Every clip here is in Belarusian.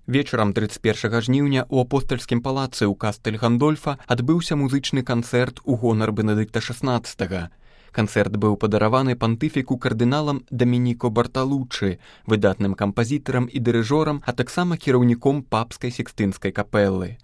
Вечарам 31 жніўня ў апостальскім палацы ў Кастэль Гандольфа адбыўся музычны канцэрт у гонар Бенедыкта XVI. Канцэрт быў падараваны пантыфіку кардыналам Дамініко Барталуччы, выдатным кампазітарам і дырыжорам, а таксама кіраўніком папскай Сікстынскай капэлы.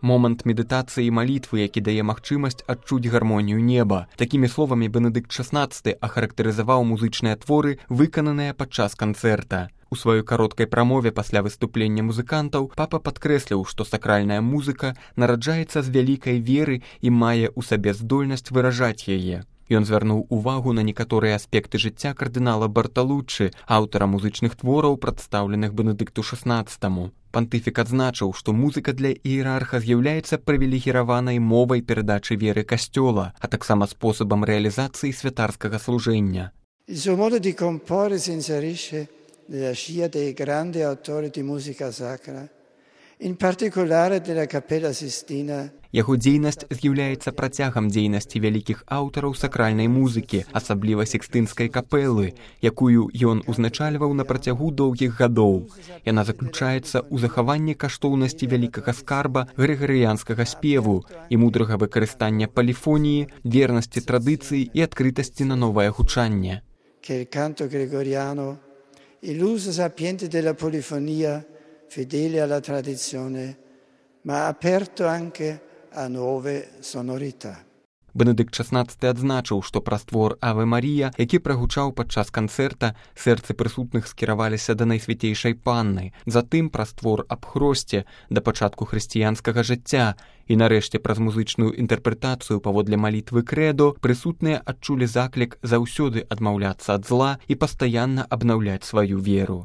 Момант медытацыі і малітвы, які дае магчымасць адчуць гармонію неба. Такімі словамі Бенедыкт XVI ахарактарызаваў музычныя творы, выкананыя падчас канцэрта. У сваёй кароткай прамове пасля выступлення музыкантаў папа падкрэсліў, што сакральная музыка нараджаецца з вялікай веры і мае ў сабе здольнасць выражаць яе. Ён звярнуў увагу на некаторыя аспекты жыцця кардынала Барталуччы, аўтара музычных твораў, прадстаўленых Бенедыкту XVI. Пантыфік адзначыў, што музыка для іерарха з'яўляецца прывілегіраванай мовай перадачы веры касцёла, а таксама спосабам рэалізацыі святарскага служэння. Il suo modo di comporre si inserisce nella scia dei grandi autori di musica sacra, in particolare della Cappella Sistina. Яго дзейнасць з'яўляецца працягам дзейнасці вялікіх аўтараў сакральнай музыкі, асабліва Сікстынскай капэлы, якую ён узначальваў на працягу доўгіх гадоў. Яна заключаецца ў захаванні каштоўнасці вялікага скарба грыгарыянскага спеву і мудрага выкарыстання поліфоніі, вернасці традыцыі і адкрытасці на новае гучанне. Che il canto gregoriano, l'uso sapiente della polifonia, fedele alla tradizione, ma aperto anche a nuove sonorità. Бенедыкт XVI адзначыў, што праз твор «Аве Марія», які прагучаў падчас канцэрта, сэрцы прысутных скіраваліся да Найсвяцейшай Панны, затым праз твор «Аб Хросце» да пачатку хрысціянскага жыцця і нарэшце праз музычную інтэрпрэтацыю паводле малітвы крэдо прысутныя адчулі заклік заўсёды адмаўляцца ад зла і пастаянна абнаўляць сваю веру.